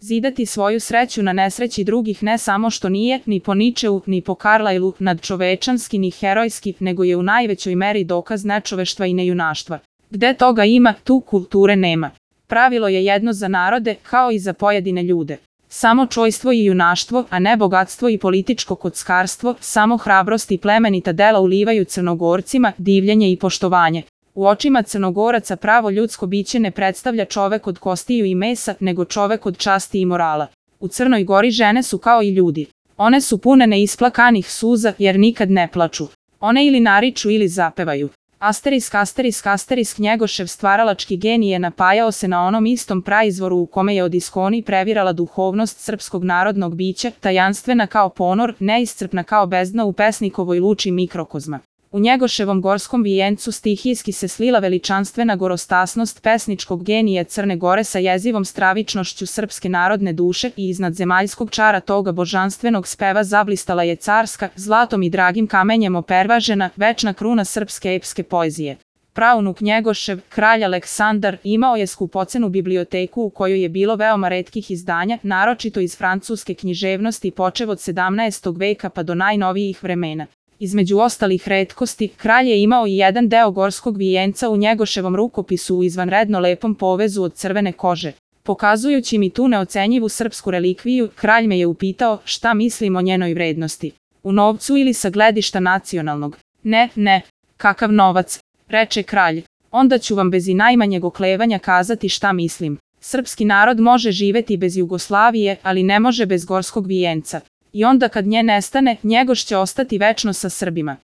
Zidati svoju sreću na nesreći drugih ne samo što nije, ni po Ničeu, ni po Carlyleu, nadčovečanski ni herojski, nego je u najvećoj meri dokaz nečoveštva i nejunaštva. Gde toga ima, tu kulture nema. Pravilo je jedno za narode, kao i za pojedine ljude. Samo čojstvo i junaštvo, a ne bogatstvo i političko kockarstvo, samo hrabrost i plemenita dela ulivaju Crnogorcima divljenje i poštovanje. U očima Crnogoraca pravo ljudsko biće ne predstavlja čovek od kostiju i mesa, nego čovek od časti i morala. U Crnoj Gori žene su kao i ljudi. One su pune neisplakanih suza, jer nikad ne plaču. One ili nariču ili zapevaju. Asterisk Njegošev stvaralački genij je napajao se na onom istom praizvoru u kome je od iskoni previrala duhovnost srpskog narodnog bića, tajanstvena kao ponor, neiscrpna kao bezdna u pesnikovoj luči mikrokozma. U Njegoševom gorskom vijencu stihijski se slila veličanstvena gorostasnost pesničkog genija Crne Gore sa jezivom stravičnošću srpske narodne duše i iznad zemaljskog čara toga božanstvenog speva zablistala je carska, zlatom i dragim kamenjem opervažena, večna kruna srpske epske poezije. Praunuk Njegošev, kralj Aleksandar, imao je skupocenu biblioteku u kojoj je bilo veoma retkih izdanja, naročito iz francuske književnosti počev od 17. veka pa do najnovijih vremena. Između ostalih retkosti, kralj je imao i jedan deo gorskog vijenca u Njegoševom rukopisu u izvanredno lepom povezu od crvene kože. Pokazujući mi tu neocenjivu srpsku relikviju, kralj me je upitao šta mislim o njenoj vrednosti. U novcu ili sa gledišta nacionalnog? Ne, kakav novac, reče kralj. Onda ću vam bez i najmanjeg oklevanja kazati šta mislim. Srpski narod može živeti bez Jugoslavije, ali ne može bez gorskog vijenca. I onda kad nje nestane, Njegoš će ostati večno sa Srbima.